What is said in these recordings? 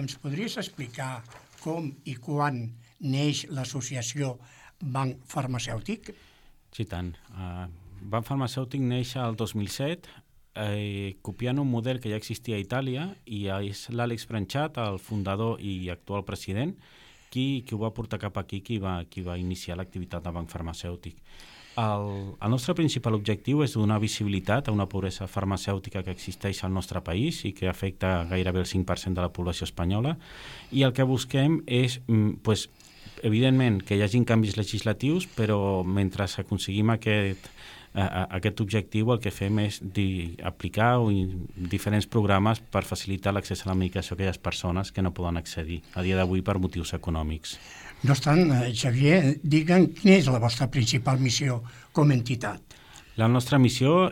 ens podries explicar com i quan neix l'associació Banc Farmacèutic? Sí, tant. Banc Farmacèutic neix el 2007, copiant un model que ja existia a Itàlia, i és l'Àlex Branchat, el fundador i actual president, qui ho va portar cap aquí, qui va iniciar l'activitat del Banc Farmacèutic. El nostre principal objectiu és donar visibilitat a una pobresa farmacèutica que existeix al nostre país i que afecta gairebé el 5% de la població espanyola, i el que busquem és, evidentment, que hi hagi canvis legislatius, però mentre aconseguim aquest objectiu el que fem és aplicar diferents programes per facilitar l'accés a la medicació a aquelles persones que no poden accedir a dia d'avui per motius econòmics. No obstant, Xavier, digue'm quina és la vostra principal missió com a entitat. La nostra missió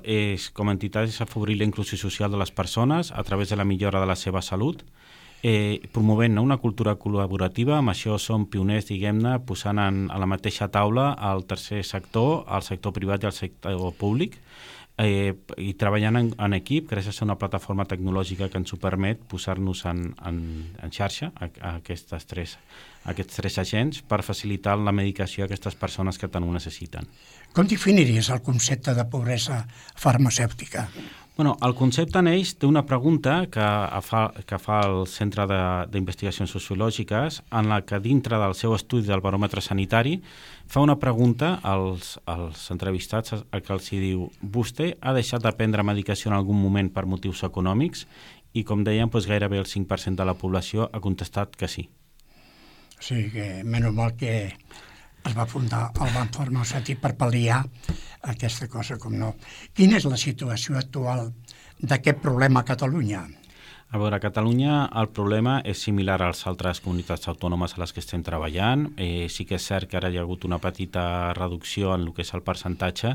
com a entitat és afavorir la inclusió social de les persones a través de la millora de la seva salut, promovent una cultura col·laborativa. Amb això som pioners, diguem-ne, posant a la mateixa taula el tercer sector, el sector privat i el sector públic, i treballant en equip gràcies a una plataforma tecnològica que ens ho permet posar-nos en xarxa a aquests tres agents per facilitar la medicació a aquestes persones que tant ho necessiten. Com definiries el concepte de pobresa farmacèutica? El concepte neix d'una pregunta que fa el Centre d'Investigacions Sociològiques, en la que dintre del seu estudi del baròmetre sanitari fa una pregunta als entrevistats a què els diu: vostè ha deixat de prendre medicació en algun moment per motius econòmics? I com dèiem, gairebé el 5% de la població ha contestat que sí. O sigui que, menys mal que es va fundar el Banc Farmacèutic per pal·liar aquesta cosa, com no. Quina és la situació actual d'aquest problema a Catalunya? A veure, a Catalunya el problema és similar a les altres comunitats autònomes a les que estem treballant. Sí que és cert que ara hi ha hagut una petita reducció en el que és el percentatge,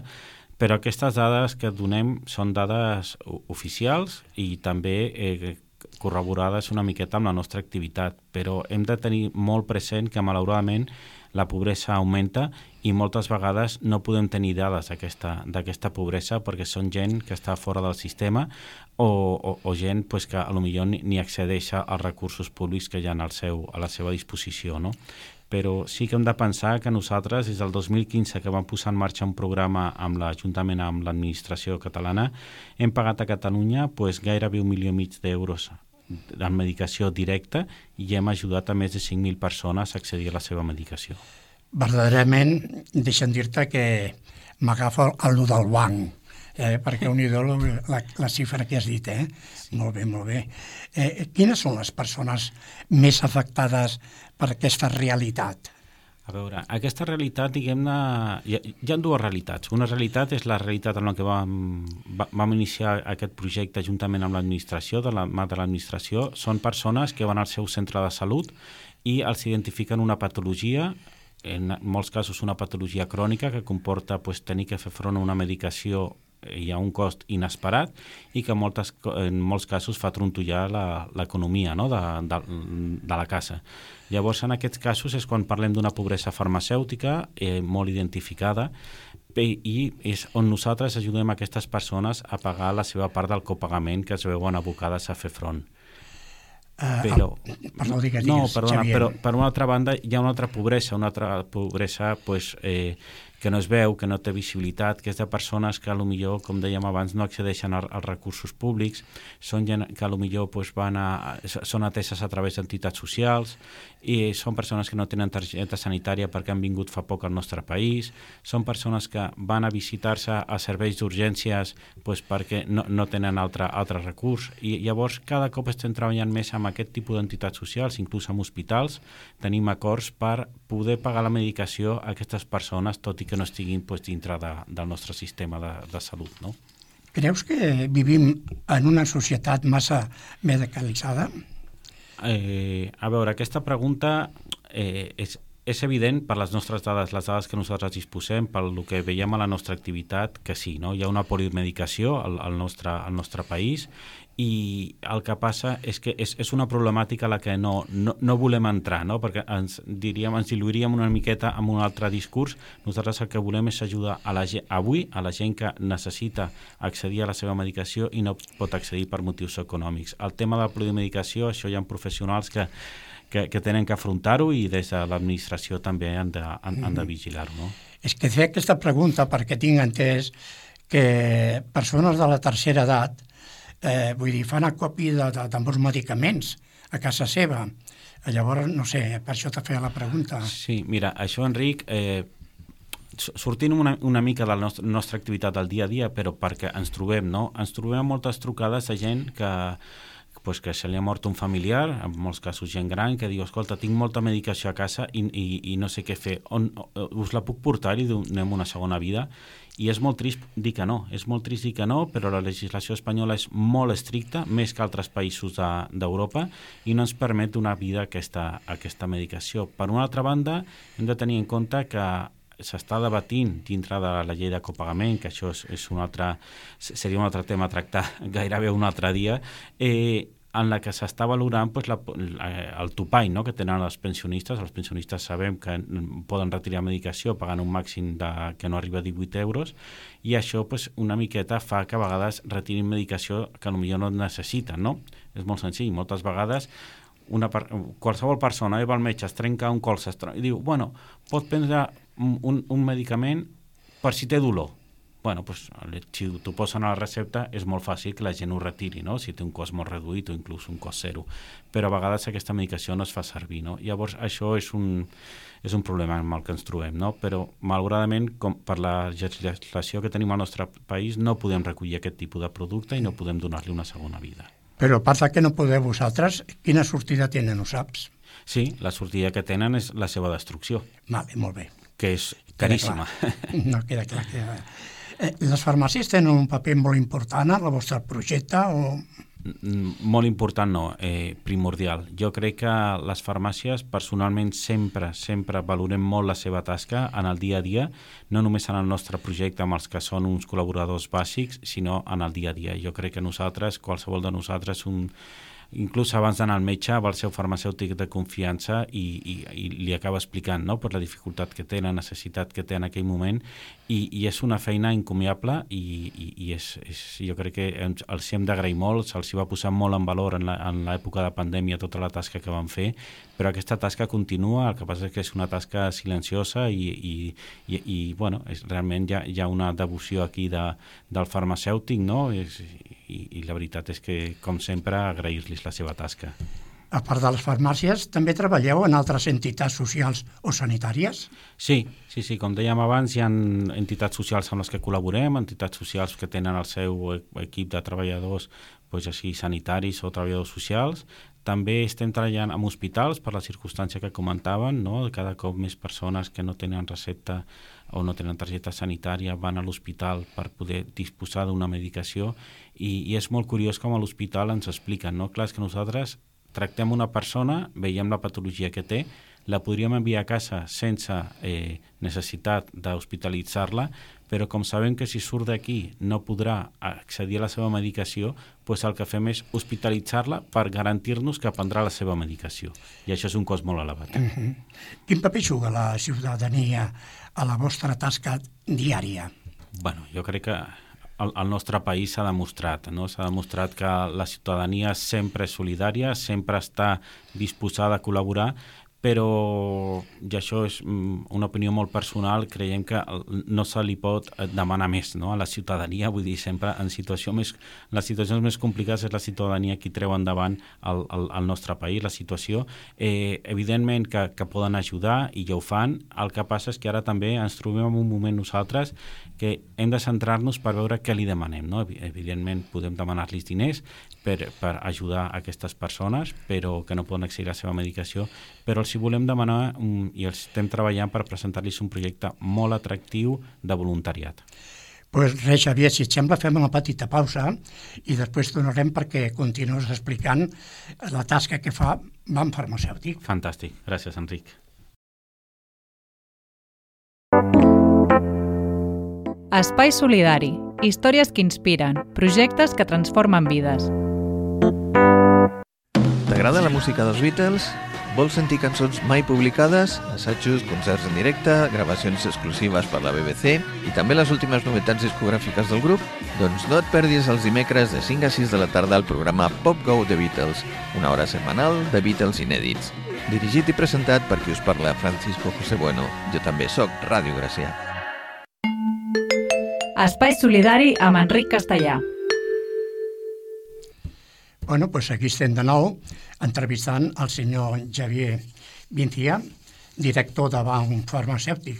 però aquestes dades que donem són dades oficials i també corroborades una miqueta amb la nostra activitat, però hem de tenir molt present que malauradament la pobresa augmenta i moltes vegades no podem tenir dades d'aquesta pobresa perquè són gent que està fora del sistema o gent que potser ni accedeix als recursos públics que hi ha a la seva disposició, no? Però sí que hem de pensar que nosaltres, des del 2015 que vam posar en marxa un programa juntament amb l'administració catalana, hem pagat a Catalunya gairebé 1,5 milió d'euros en medicació directa i hem ajudat a més de 5.000 persones a accedir a la seva medicació. Verdaderament, deixa'm dir-te que m'agafa el del banc, perquè unidó la xifra que has dit, Sí. Molt bé, molt bé. Quines són les persones més afectades per aquesta realitat? A veure, aquesta realitat, diguem-ne, hi ha dues realitats. Una realitat és la realitat en la que vam iniciar aquest projecte juntament amb l'administració, de la mà de l'administració. Són persones que van al seu centre de salut i els identifiquen una patologia, en molts casos una patologia crònica que comporta tenir que fer front a una medicació i a un cost inesperat i que en molts casos fa trontollar l'economia, no? de la casa. Llavors, en aquests casos és quan parlem d'una pobresa farmacèutica molt identificada i és on nosaltres ajudem aquestes persones a pagar la seva part del copagament que es veuen abocades a fer front. Perdó, digues, perdona, però per una altra banda hi ha una altra pobresa que no es veu, que no té visibilitat, que és de persones que potser, com dèiem abans, no accedeixen als recursos públics, són gent que potser són ateses a través d'entitats socials i són persones que no tenen targeta sanitària perquè han vingut fa poc al nostre país, són persones que van a visitar-se a serveis d'urgències perquè no tenen altre recurs, i llavors cada cop estem treballant més amb aquest tipus d'entitats socials, inclús amb hospitals. Tenim acords per poder pagar la medicació a aquestes persones, tot i que no estiguin dintre del nostre sistema de salut, no? Creus que vivim en una societat massa medicalitzada? A veure, aquesta pregunta és evident per les nostres dades, les dades que nosaltres disposem, pel que veiem a la nostra activitat, que sí, no? Hi ha una polimedicació al nostre país i el que passa és que és una problemàtica a la que no volem entrar, no? Perquè ens diluiríem una miqueta amb un altre discurs. Nosaltres el que volem és ajudar a la gent, avui a la gent que necessita accedir a la seva medicació i no pot accedir per motius econòmics. El tema de la polimedicació, això hi ha professionals que tenen que afrontar-ho i des de l'administració també han de vigilar-ho, no? És que fer aquesta pregunta perquè tinc entès que persones de la tercera edat fan acopi de molts medicaments a casa seva. Llavors, no sé, per això t'ha fet la pregunta. Sí, mira, això, Enric, sortint una mica de la nostra activitat del dia a dia, però perquè ens trobem, no? Ens trobem moltes trucades de gent que se li ha mort un familiar, en molts casos gent gran, que diu, escolta, tinc molta medicació a casa i no sé què fer. Us la puc portar i donem una segona vida? I és molt trist dir que no, però la legislació espanyola és molt estricta, més que altres països d'Europa, i no ens permet donar vida a aquesta medicació. Per una altra banda, hem de tenir en compte que s'està debatint dintre de la llei de copagament, que això seria un altre tema a tractar gairebé un altre dia, en la que s'està valorant el topall, no?, que tenen els pensionistes. Els pensionistes sabem que poden retirar medicació pagant un màxim que no arriba a 18 euros, i això una miqueta fa que a vegades retirin medicació que potser no necessiten, no? És molt senzill. Moltes vegades qualsevol persona va al metge, es trenca un colze i diu, bueno, pot prendre un medicament per si té dolor. Bueno, si t'ho posen a la recepta és molt fàcil que la gent ho retiri, no?, si té un cost molt reduït o inclús un cost zero. Però a vegades aquesta medicació no es fa servir, no? Llavors això és un problema amb el que ens trobem, no? Però malauradament, per la legislació que tenim al nostre país, no podem recollir aquest tipus de producte i no podem donar-li una segona vida. Però a part que no podeu vosaltres, quina sortida tenen, ho saps? Sí, la sortida que tenen és la seva destrucció. Vale, molt bé. Que és caríssima. No, queda clar. Les farmàcies tenen un paper molt important en el vostre projecte o...? Molt important no, primordial. Jo crec que les farmàcies personalment sempre valorem molt la seva tasca en el dia a dia, no només en el nostre projecte amb els que són uns col·laboradors bàsics, sinó en el dia a dia. Jo crec que nosaltres, qualsevol de nosaltres, inclús abans d'anar al metge, va el seu farmacèutic de confiança i li acaba explicant, no?, per la dificultat que té, la necessitat que té en aquell moment, i és una feina encomiable i jo crec que els hem d'agrair molt, se'ls va posar molt en valor en l'època de pandèmia tota la tasca que van fer, però aquesta tasca continua. El que passa és que és una tasca silenciosa i bueno, realment hi ha una devoció aquí del farmacèutic, no?, i la veritat és que, com sempre, agrair-los la seva tasca. A part de les farmàcies, també treballeu en altres entitats socials o sanitàries? Sí, com dèiem abans, hi ha entitats socials amb les que col·laborem, entitats socials que tenen el seu equip de treballadors sanitaris o treballadors socials. També estem treballant amb hospitals per la circumstància que comentaven, no? Cada cop més persones que no tenen recepta o no tenen targeta sanitària van a l'hospital per poder disposar d'una medicació i és molt curiós com a l'hospital ens expliquen, no? Clar, és que nosaltres tractem una persona, veiem la patologia que té, la podríem enviar a casa sense necessitat d'hospitalitzar-la, però com sabem que si surt d'aquí no podrà accedir a la seva medicació, doncs el que fem és hospitalitzar-la per garantir-nos que prendrà la seva medicació. I això és un cost molt elevat. Quin paper juga la ciutadania a la vostra tasca diària? Bueno, jo crec que al nostre país s'ha demostrat, no? S'ha demostrat que la ciutadania sempre és solidària, sempre està disposada a col·laborar, però, i això és una opinió molt personal, creiem que no se li pot demanar més, no?, a la ciutadania. Vull dir, sempre les situacions més complicades és la ciutadania qui treu endavant el nostre país, la situació. Evidentment que poden ajudar i ja ho fan. El que passa és que ara també ens trobem en un moment nosaltres que hem de centrar-nos per veure què li demanem, no? Evidentment podem demanar-los diners per ajudar aquestes persones, però que no poden accedir a la seva medicació, però els volem demanar i els estem treballant per presentar-los un projecte molt atractiu de voluntariat. Doncs res, Xavier, si et sembla fem una petita pausa i després tornarem perquè continues explicant la tasca que fa Banc Farmacèutic. Fantàstic, gràcies, Enric. Espai Solidari. Històries que inspiren. Projectes que transformen vides. T'agrada la música dels Beatles? Vols sentir cançons mai publicades, assajos, concerts en directe, gravacions exclusives per la BBC i també les últimes novetats discogràfiques del grup? Doncs no et perdis els dimecres de 5 a 6 de la tarda el programa Pop Go The Beatles, una hora setmanal de Beatles inèdits. Dirigit i presentat per qui us parla, Francisco José Bueno. Jo també sóc Ràdio Gracià. Espai Solidari amb Enric Castellà. Bueno, doncs aquí estem de nou entrevistant el senyor Xavier Vincia, director de Banc Farmacèutic.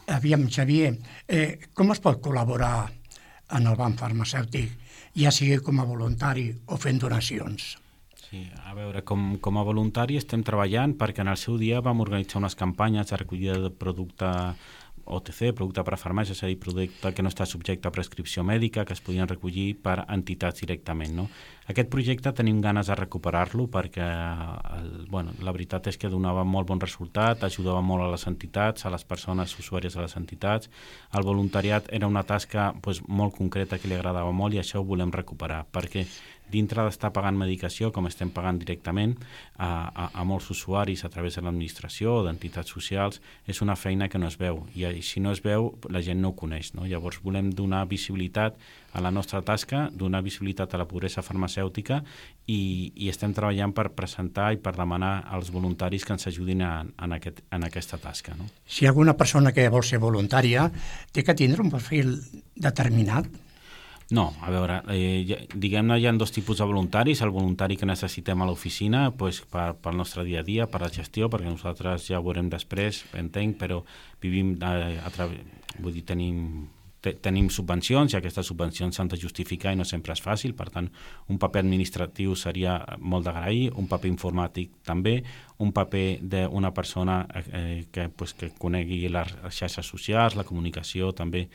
Aviam, Xavier, com es pot col·laborar en el Banc Farmacèutic, ja sigui com a voluntari o fent donacions? Sí, a veure, com a voluntari estem treballant perquè en el seu dia vam organitzar unes campanyes de recollida de producte OTC, producte per a farmàcia, és a dir, producte que no està subjecte a prescripció mèdica, que es podien recollir per entitats directament, no? Aquest projecte tenim ganes de recuperar-lo perquè la veritat és que donava molt bon resultat, ajudava molt a les entitats, a les persones usuàries de les entitats. El voluntariat era una tasca molt concreta que li agradava molt i això ho volem recuperar, perquè dintre d'estar pagant medicació, com estem pagant directament a molts usuaris a través de l'administració o d'entitats socials, és una feina que no es veu. I si no es veu, la gent no ho coneix, no? Llavors volem donar visibilitat a la nostra tasca, donar visibilitat a la pobresa farmacèutica i estem treballant per presentar i per demanar als voluntaris que ens ajudin en aquesta tasca, no? Si hi ha alguna persona que vol ser voluntària, té que tindre un perfil determinat? No, a veure, diguem-ne, hi ha dos tipus de voluntaris. El voluntari que necessitem a l'oficina pel nostre dia a dia, per la gestió, perquè nosaltres ja ho veurem després, entenc, però vivim vull dir, tenim subvencions i aquestes subvencions s'han de justificar i no sempre és fàcil, per tant, un paper administratiu seria molt d'agrair, un paper informàtic també, un paper d'una persona que conegui les xarxes socials, la comunicació també,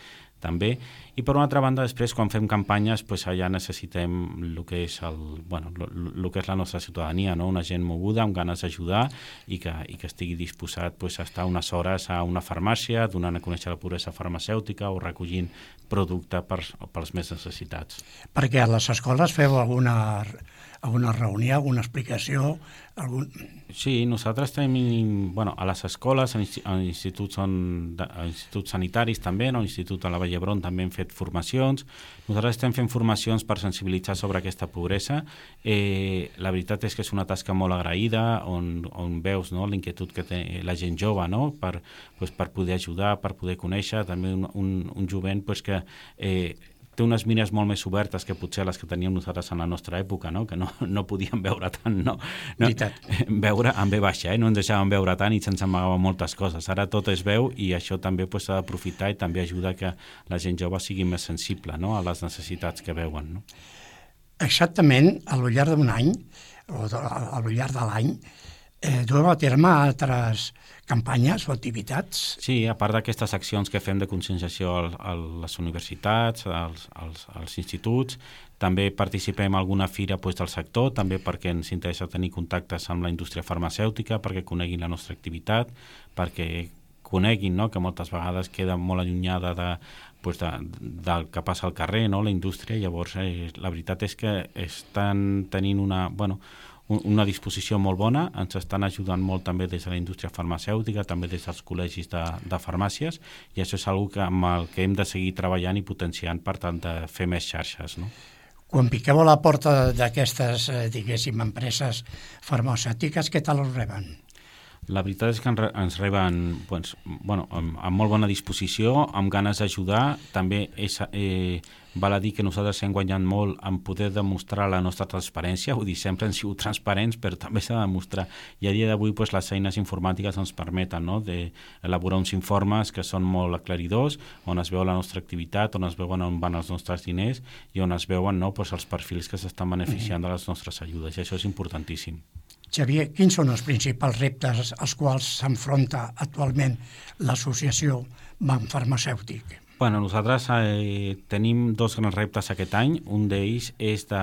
i per una altra banda després quan fem campanyes allà necessitem el que és la nostra ciutadania, no? Una gent moguda amb ganes d'ajudar i que estigui disposat a estar unes hores a una farmàcia donant a conèixer la pobresa farmacèutica o recollint producte pels més necessitats. Perquè a les escoles feu alguna reunió, alguna explicació? Sí, nosaltres tenim, a les escoles, a instituts sanitaris també, a l'Institut de la Vall d'Hebron també hem fet formacions. Nosaltres estem fent formacions per sensibilitzar sobre aquesta pobresa. La veritat és que és una tasca molt agraïda, on veus la inquietud que té la gent jove, no? Per poder ajudar, per poder conèixer, també un jovent que té unes mires molt més obertes que potser les que teníem nosaltres en la nostra època, no? Que no podíem veure tant, no? Veure amb ve baixa, no ens deixàvem veure tant i se'ns amagaven moltes coses. Ara tot es veu i això també s'ha d'aprofitar i també ajuda que la gent jove sigui més sensible, no? A les necessitats que veuen, no? Exactament, a lo llarg d'un any, o a lo llarg de l'any, dueu a terme altres campanyes o activitats? Sí, a part d'aquestes accions que fem de conscienciació a les universitats, als instituts, també participem en alguna fira del sector, també perquè ens interessa tenir contactes amb la indústria farmacèutica, perquè coneguin la nostra activitat, perquè coneguin que moltes vegades queda molt allunyada del que passa al carrer, la indústria. Llavors, la veritat és que estan tenint una disposició molt bona, ens estan ajudant molt també des de la indústria farmacèutica, també des dels col·legis de farmàcies, i això és una amb el que hem de seguir treballant i potenciant per tant de fer més xarxes, no? Quan piqueu a la porta d'aquestes, diguéssim, empreses farmacèutiques, què tal us reben? La veritat és que ens reben amb molt bona disposició, amb ganes d'ajudar. També val a dir que nosaltres hem guanyat molt en poder demostrar la nostra transparència, vull dir, sempre hem sigut transparents, però també s'ha de demostrar. I a dia d'avui les eines informàtiques ens permeten d'elaborar uns informes que són molt aclaridors, on es veu la nostra activitat, on es veuen on van els nostres diners i on es veuen els perfils que s'estan beneficiant de les nostres ajudes, i això és importantíssim. Xavier, quins són els principals reptes als quals s'enfronta actualment l'associació Banc Farmacèutic? Bueno, nosaltres tenim dos grans reptes aquest any. Un d'ells és de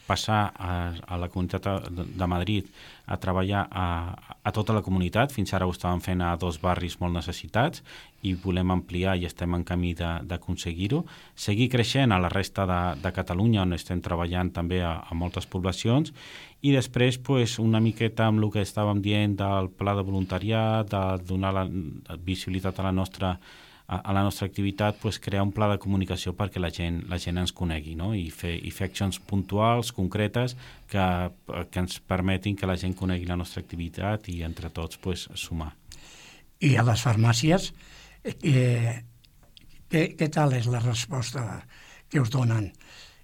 passar a la Comunitat de Madrid a treballar a tota la comunitat. Fins ara ho estàvem fent a 2 barris molt necessitats i volem ampliar i estem en camí d'aconseguir-ho. Seguir creixent a la resta de Catalunya, on estem treballant també a moltes poblacions, i després una miqueta amb el que estàvem dient del pla de voluntariat, de donar la visibilitat a la nostra activitat, crear un pla de comunicació perquè la gent ens conegui, no? I fer accions puntuals, concretes, que ens permetin que la gent conegui la nostra activitat i entre tots sumar. I a les farmàcies, què tal és la resposta que us donen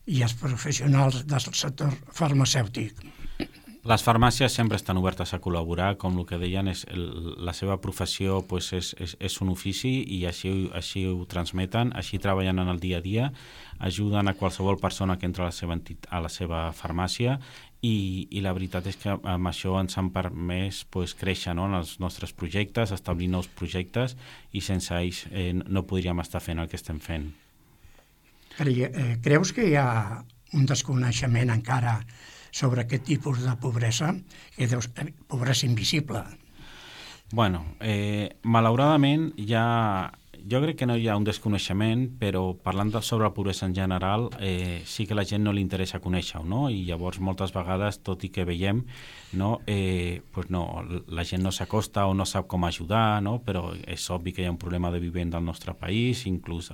i els professionals del sector farmacèutic? Les farmàcies sempre estan obertes a col·laborar, com el que deien, la seva professió és un ofici i així ho transmeten, així treballen en el dia a dia, ajuden a qualsevol persona que entra a la seva farmàcia i la veritat és que amb això ens han permès créixer, no, en els nostres projectes, establir nous projectes i sense ells no podríem estar fent el que estem fent. Creus que hi ha un desconeixement encara sobre aquest tipus de pobresa, pobresa invisible? Bueno, malauradament jo crec que no hi ha un desconeixement, però parlant sobre la pobresa en general, sí que la gent no li interessa conèixer-ho, no? I llavors moltes vegades, tot i que veiem, no, la gent no s'acosta o no sap com ajudar, no? Però és obvi que hi ha un problema de vivenda al nostre país, inclús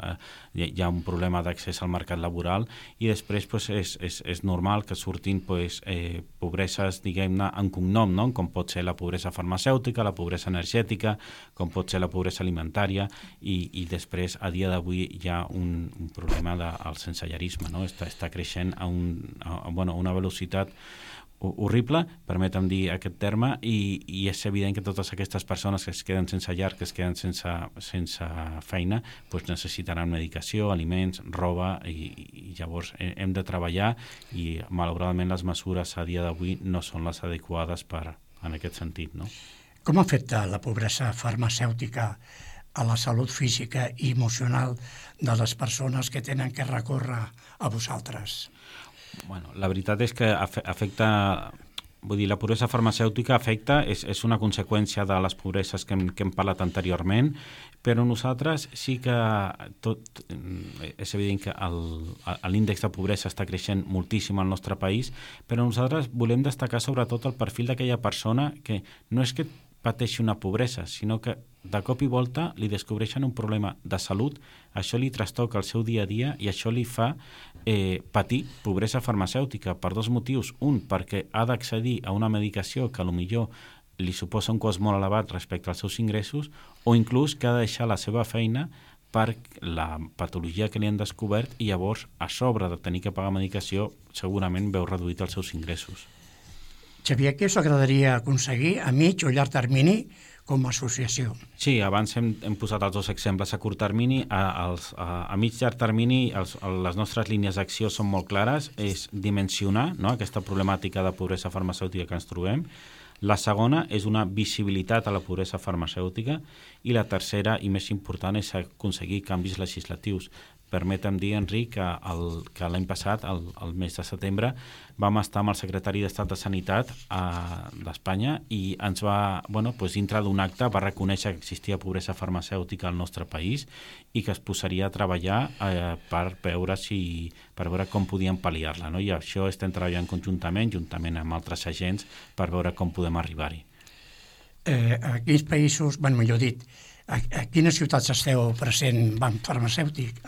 hi ha un problema d'accés al mercat laboral i després és normal que surtin pobreses, diguem-ne, en cognom, no? Com pot ser la pobresa farmacèutica, la pobresa energètica, com pot ser la pobresa alimentària i després, a dia d'avui, hi ha un problema del sensellarisme, no? Està creixent a una velocitat horrible, permetem dir aquest terme, i és evident que totes aquestes persones que es queden sense llar, que es queden sense feina, necessitaran medicació, aliments, roba, i llavors hem de treballar i malauradament les mesures a dia d'avui no són les adequades en aquest sentit, no? Com afecta la pobresa farmacèutica a la salut física i emocional de les persones que tenen que recórrer a vosaltres? Bueno, la veritat és que afecta, vull dir, la pobresa farmacèutica afecta, és una conseqüència de les pobreses que hem parlat anteriorment, però nosaltres sí que és evident que l'índex de pobresa està creixent moltíssim al nostre país, però nosaltres volem destacar sobretot el perfil d'aquella persona que no és que pateixi una pobresa, sinó que de cop i volta li descobreixen un problema de salut, això li trastoca el seu dia a dia i això li fa patir pobresa farmacèutica per 2 motius. Un, perquè ha d'accedir a una medicació que potser li suposa un cost molt elevat respecte als seus ingressos, o inclús que ha de deixar la seva feina per la patologia que li han descobert i llavors, a sobre de tenir que pagar medicació, segurament veu reduït els seus ingressos. Xavier, què us agradaria aconseguir a mig o llarg termini com a associació? Sí, abans hem posat els 2 exemples a curt termini. A mig llarg termini les nostres línies d'acció són molt clares, és dimensionar, no, aquesta problemàtica de pobresa farmacèutica que ens trobem. La segona és una visibilitat a la pobresa farmacèutica i la tercera i més important és aconseguir canvis legislatius. Permetem dir, Enric, que l'any passat, el mes de setembre, vam estar amb el secretari d'Estat de Sanitat d'Espanya i ens va, dintre d'un acte, va reconèixer que existia pobresa farmacèutica al nostre país i que es posaria a treballar per veure com podíem pal·liar-la, no? I això estem treballant conjuntament amb altres agents, per veure com podem arribar-hi. A quins països, millor dit, a quines ciutats esteu present Banc Farmacèutic?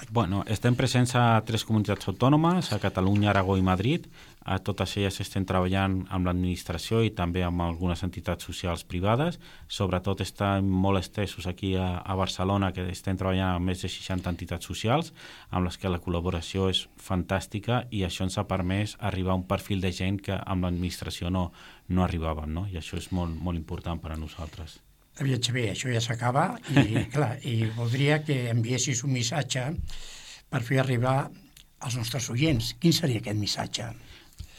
Estem presents a 3 comunitats autònomes, a Catalunya, Aragó i Madrid. A totes elles estem treballant amb l'administració i també amb algunes entitats socials privades. Sobretot estem molt estesos aquí a Barcelona, que estem treballant amb més de 60 entitats socials, amb les que la col·laboració és fantàstica i això ens ha permès arribar a un perfil de gent que amb l'administració no arribàvem, no? I això és molt, molt important per a nosaltres. Aviam, Xavier, això ja s'acaba i voldria que enviessis un missatge per fer arribar als nostres oients. Quin seria aquest missatge?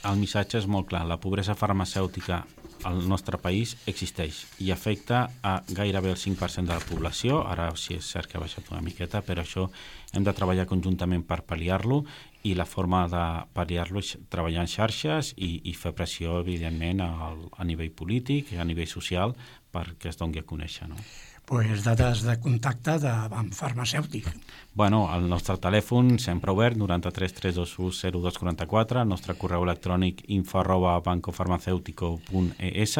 El missatge és molt clar. La pobresa farmacèutica al nostre país existeix i afecta a gairebé el 5% de la població. Ara sí és cert que ha baixat una miqueta, però això hem de treballar conjuntament per pal·liar-lo, i la forma de pal·liar-lo és treballar en xarxes i fer pressió, evidentment, a nivell polític i a nivell social perquè es doni a conèixer, no? Pues dades de contacte de Banc Farmacèutic. Bueno, el nostre telèfon sempre obert, 93 321 0244, el nostre correu electrònic info@bancofarmaceutico.es,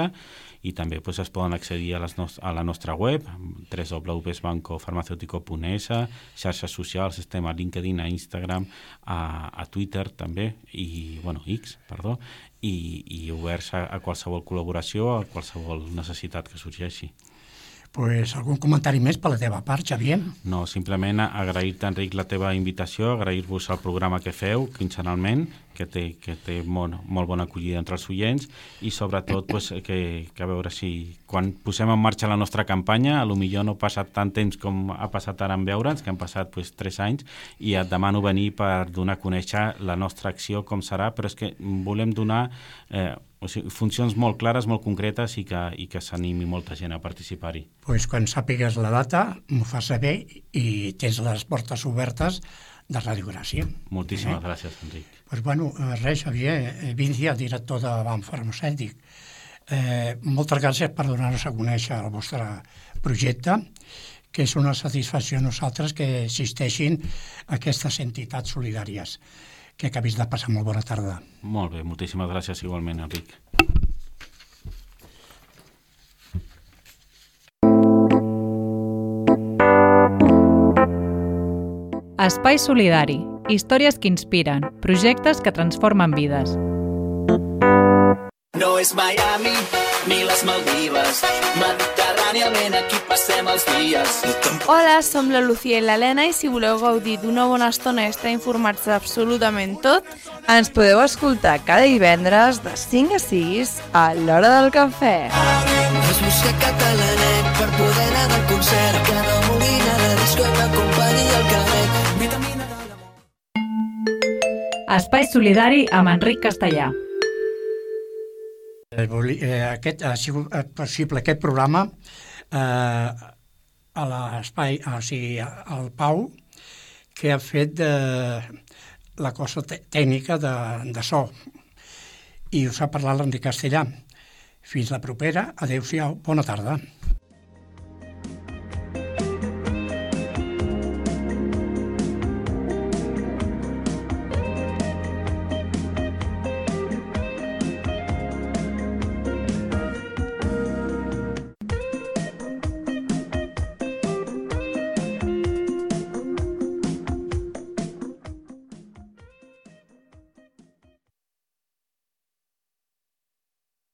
i també es poden accedir a la nostra web, www.bancofarmaceutico.es, xarxes socials, estem a LinkedIn, a Instagram, a Twitter també, i X, perdó, i oberts a qualsevol col·laboració, a qualsevol necessitat que sorgeixi. Pues algun comentari més per la teva part, Xavier? No, simplement agrair-te, Enric, la teva invitació, agrair-vos el programa que feu quinzenalment, que té molt bona acollida entre els oients, i sobretot que a veure si quan posem en marxa la nostra campanya, potser no ha passat tant temps com ha passat ara en veure'ns, que han passat 3 anys, i et demano venir per donar a conèixer la nostra acció, com serà, però és que volem donar funcions molt clares, molt concretes, i que s'animi molta gent a participar-hi. Pues quan sàpigues la data, m'ho fas saber i tens les portes obertes de Ràdio Gràcia. Moltíssimes gràcies, Enric. Pues res, Xavier, Vincia, director de Banc Farmacèutic. Moltes gràcies per donar-nos a conèixer el vostre projecte, que és una satisfacció a nosaltres que existeixin aquestes entitats solidàries. Que acabis de passar molt bona tarda. Molt bé, moltíssimes gràcies igualment, Enric. Espai Solidari. Històries que inspiren. Projectes que transformen vides. No és Miami ni les Maldives, mediterràniament aquí passem els dies. Hola, som la Lucía i l'Helena, i si voleu gaudir d'una bona estona i estar informats d'absolutament tot, ens podeu escoltar cada divendres de 5 a 6 a l'hora del cafè. Es busca catalanet per poder anar del concert, que no vulgui anar de disco i m'acompanyi al carrer. Vitamina de l'amor. Espai Solidari amb Enric Castellà. Ha sigut possible aquest programa a l'espai, o sigui, al Pau, que ha fet la cosa tècnica de so, i us ha parlat l'Enric Castellà. Fins la propera, adéu-siau, bona tarda.